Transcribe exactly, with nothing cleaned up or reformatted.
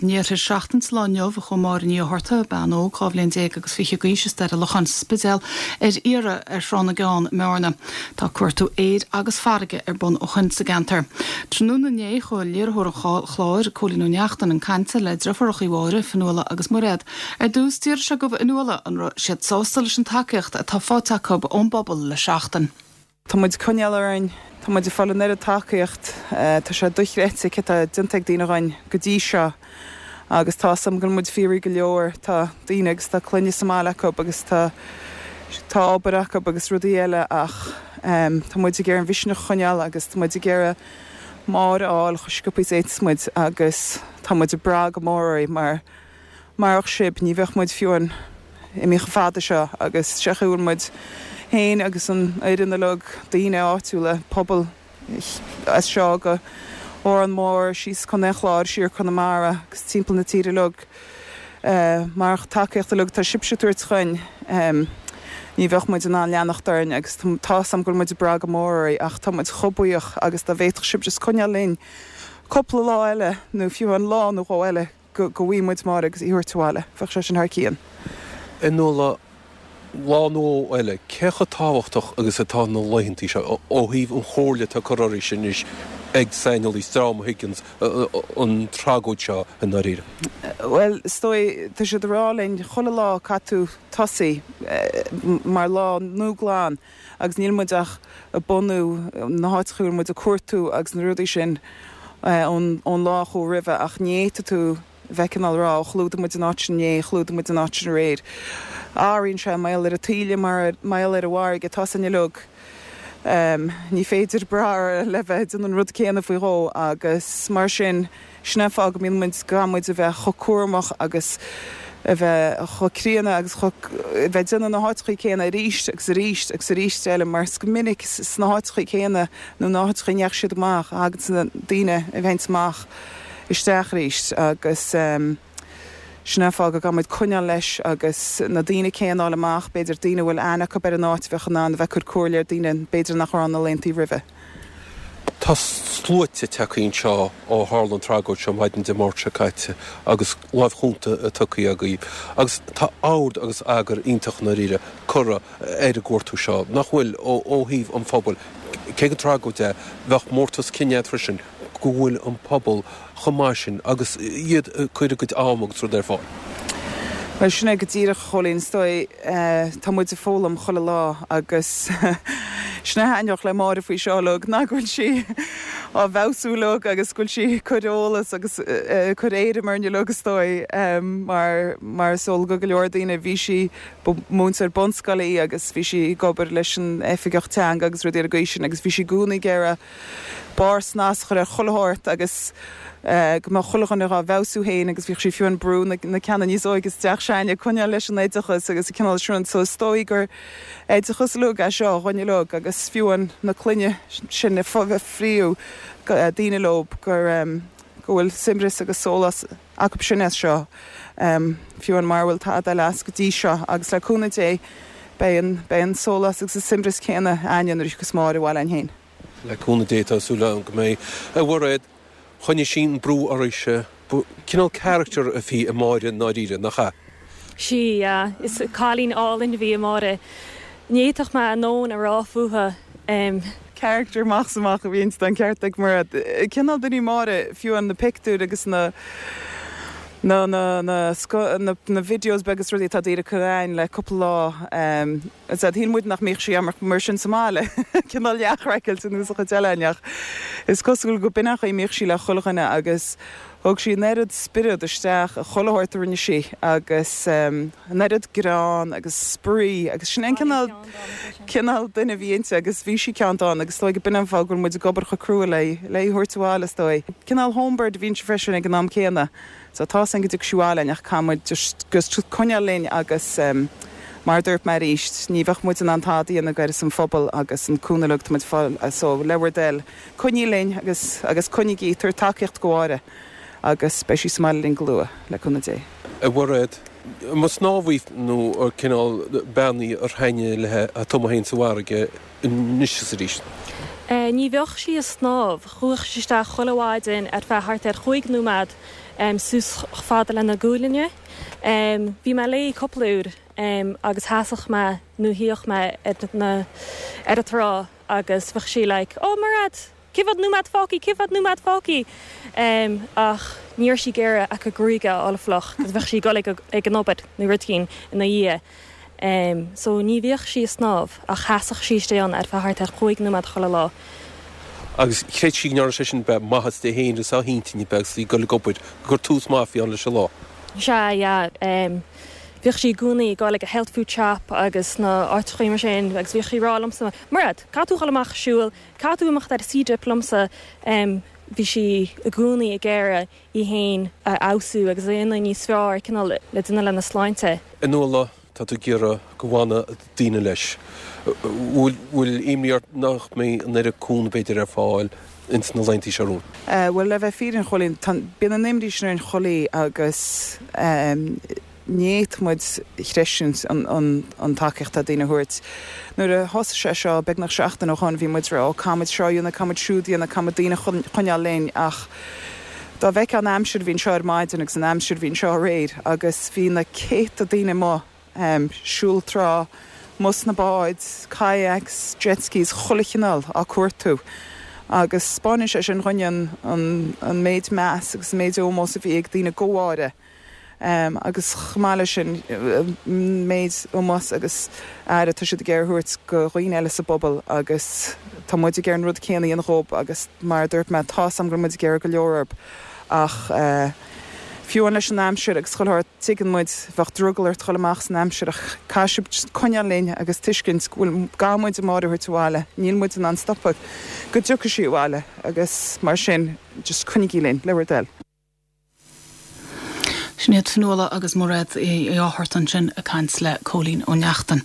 In iarthar seachtain sa lá inniu a chuaigh Máire Ní Fhátharta, bean óg dhá bhliain déag agus fiche d'aois as Doire Locháin sa Spidéal ar iarraidh ar Thrá na gCeann i mBearna. Tá cuartú aeir agus farraige ar bun ó shin sa gceantar. Tráthnóna inné chuaigh léiritheoir an chláir, Cóilín Ó Neachtain, chun cainte le deirfiúracha Mháire, Fionnuala agus Mairéad. Ar dtús d'iarr sé de Fhionnuala an raibh siad sásta leis an tacaíocht atá faighte acu ón bpobal le seachtain. Tá muid coinneáil orainn, tá muid ag fáil an oiread tacaíocht, tá sé dochreidte cé atá déanta ag daoine againn go dtí seo agus tá sam go muid fíoraí go leor tá daoine agus tá clainne sa mbaile acu agus tá tá obair acu agus rudaí eile ach um, tá muid ag iarraidh an mhisneach a choinneáil agus tá muid ag iarraidh Máire a fháil chomh sciobtha is a fhéadfas muid agus tá muid ag brath go mór oraibh mar marach sibh ní bheadh muid fiú an imithe chomh fada seo agus sé bhfuil muid féin agus an fhoireann uilig daoine áitiúla pobal as seo go Órán Mór síos Contae an Chláir siar Conamara agus timpeall na tíre uilig uh, marach tacaíocht uilig tá sibhse ag tabhairt dúinn um, ní bheadh muid in ann leanacht orainn agus tá sam go muid bra go mór ach tá muid chomh buíoch agus dá bhféadfadh sibh just coinneáil linn cúpla lá eile nó fiú an lá nó dhó eile go go bhfaighidh muid Máire agus í a thabhairt abhaile, bheadh sé sin thar cionn. Fionnuala lá nó eile, cé chomh tábhachtach agus atá na laethanta seo ó thaobh an chomhairle atá curtha oraibh sin anois ag saineolaí Strom Higgins an tragóid seo i ndáiríre. Well, is dóigh tá siad ag rá linn chuile lá caithfidh tú tosaí mar lá nua glan agus níl muid ach ag bunú na háiteacha a bhfuil muid ag cuartú agus na rudaí sin ón ón lá chomh roimhe ach ní fhéadfaidh tú bheith cineál rá chlúdaigh muid an áit sin inné, chlúdaigh muid an áit sin aréir. Athraíonn sé mar gheall ar an taoille mar mar gheall ar an bhfarraige tá sin uilig. Um, ní féidir brath le bheith déanamh an rud céanna faoi dhó agus mar sin sin an fáth go mbíonn muid gan muid a bheith chomh cúramach agus a bheith chomh críonna agus a bheith déanamh na háiteacha céanna arís agus arís agus arís eile mar is go minic sna háiteacha céanna nó na háiteacha ndeachaigh siad amach agus na daoine a bheith amach isteach arís agus um, sin an fáth go gcaithfidh muid coinneáil leis agus na daoine céanna a fháil amach, b'fhéidir daoine bhfuil aithne acu ar an áit bheadh in ann a bheith cur comhairle ar daoine b'fhéidir nach raibh na laethanta roimhe. Tá sluaite tagtha anseo ó tharla an tragóid seo maidin Dé Máirt seo caite agus lámh chúnta tugtha agaibh. Agus tá ord agus eagar iontach i ndáiríre curtha ar an gcuartú seo nach bhfuil ó ó thaobh an phobail. Cé gur tragóid é bheadh mórtas cine freisin go bhfuil an pobal chomh maith sin agus iad cur a gcuid am agus rud ar fáil. Well sin é go díreach Chóilín is dóigh tá muid ag foghlaim chuile lá agus sin a thaitneodh le Máire faoi seo uilig ná go bhfuil sí á bhfeabhsú uilig agus go bhfuil sí cur eolas agus cur éirim orainn uilig is dóigh mar mar is eol go go leor daoine bhí sí múinteoir bunscoile í agus bhí sí ag obair leis an oifigeach teanga agus rudaí ar an gcaoi sin agus bhí sí i gcónaí ag iarraidh barr snas a chur ar chuile shórt agus go mbeadh chuile dhuine á bhfeabhsú féin agus bhíodh sí fiú ag brú na ceanna níos óige isteach s'againne coinneáil leis an oideachas agus cineál sin so is dóigh gur oideachas uilig é seo dhuine uilig agus fiú an na clainne sin a fríú daoine leo gur go bhfuil saibhreas agus sólás acu sin as seo fiú an mar bhfuil tada eile as go dtí seo agus le cúnamh Dé beidh an beidh an sólás agus an saibhreas céanna againne nuair a thiocfas Máire abhaile féin. Le cúnamh Dé tá súil go mbeidh a Mhairéad choinnigh sí an brú oraibhse cineál character a bhí i Máire i ndáiríre nach ea. Sí is cailín álainn a bhí i Máire. Ní fhéadfadh mé a ndóthain a rá fúithi. Um, character amach amach a bhí inti an ceart ag mar cineál duine Máire fiú an na pictiúir agus na na na na na, na videos beaga rudaí atá daoine chugainn le cúpla lá um, shíl muid nach mbíodh sí mar mar sin sa mbaile cineál leathchraiceáilte nó sa chuid eile Is cosúil go b'in a mbíodh sí le chuile dhuine agus thug sí an oiread spiorad isteach a chuile shórt a rinne sí agus um, an oiread greann agus spraoi agus sin an cineál cineál duine bhí inti agus bhí sí ceanntán agus dóigh b'in an fáth go bhfuil muid ag obair chomh crua le le thabhairt abhaile is dóigh. Cineál homebird a bhí inti freisin ag an am céanna. So tá an go dtiocfaidh sí abhaile ach caithfidh muid just coinneáil linn agus um, mar dúirt mé arís ní bheadh muid in ann tada a dhéanamh ar an phobal agus an cúnamh uilig muid fáil so le bhur dtoil coinnigh linn agus agus coinnigí tabhair tacaíocht do Mháire agus beidh sí sa mbaile linn go luath le cúnamh Dé. A Mhairéad, má snámhaí nó ar cineál bean í ar thaitnigh léi a tumadh féin sa bhfarraige anois is arís. Uh, ní bheadh sí ag snámh, chuaigh sí isteach chuile mhaidin ar feadh thart ar chúig nóiméad Suas chomh fada lena gualainne. Bhí mé léi cúpla uair agus sheasfadh mé nó shuíodh mé ar na ar an trá agus bheadh sí like oh Mairéad, cé mhéad nóiméad fágtha, cé mhéad nóiméad fágtha? Ach ní raibh sí ag iarraidh a gruaig a fháil fliuch cos bheadh sí ag dul ag an obair nó rud éigin ina dhiaidh. So ní bhíodh sí ag snámh ach sheasfadh sí istigh ann ar feadh thart ar chúig nóiméad chuile lá. Agus chreid sí go ndearna sé sin beith maitheas di féin agus dá hintinn agus í ag dul ag obair, gur tús maith a bhí ann leis an lá. Sea, yeah. Bhíodh sí i gcónaí ag dul ag an health food shop agus na áiteachaí mar sin agus bhíodh sí ag rá liomsa, Mairéad, caithfidh tú dhul amach ag siúl, caithfidh tú imeacht ar sea dip liomsa. Bhí sí i gcónaí ag iarraidh í féin a fheabhsú agus a dhéanamh níos fearr, cineál le déanamh lena sláinte. A Nuala, tá tú ag iarraidh go bhfanadh daoine leis. Bhfuil imní ort nach mbeidh an oiread cúnamh b'fhéidir ar fáil ins na laethanta seo romhainn? Bhuel, le bheith fírinneach, a Chóilín, bíonn an imní sin orainn chuile agus ní fhéadfadh muid a chreistiúint an tacaíocht atá daoine a thabhairt. Nuair a thosaigh sé seo beagnach seachtain ó shoin bhí muid ag rá, ó caithfidh muid seo a dhéanamh, caithfidh muid siúd a dhéanamh, caithfidh muid daoine a choinneáil linn ach dá bhfeicfeá an aimsir a bhí anseo ar maidin agus an aimsir a bhí anseo aréir agus bhí na céadta daoine amuigh, siúl trá, amuigh sna báid, kayaks, jet skis, chuile chineál á cuartú agus 'spáineann sé sin dhúinn an an méid meas agus an méid ómós a bhí ag daoine go Mháire agus chomh maith leis sin an méid ómós agus aire atá siad ag iarraidh a thabhairt go dhaoine eile sa bpobal agus tá muid ag iarraidh an rud céanna a dhéanamh dhób agus mar a dúirt mé tá's a'm go bhfuil muid ag iarraidh go leor orb ach Fiú amháin leis an aimsir agus chuile shórt, tuigeann muid, bheadh drogall ort dhul amach san aimsir ach caithfidh sibh coinneáil linn agus tuiscint go bhfuil, gá muid Máire a thabhairt abhaile, níl muid in ann stopadh go dtiocfaidh sí abhaile agus mar sin just coinnigí linn, le bhur dtoil. Sin iad Fionnuala agus Mairéad Uí Fhátharta ansin ag caint le Cóilín Ó Neachtain.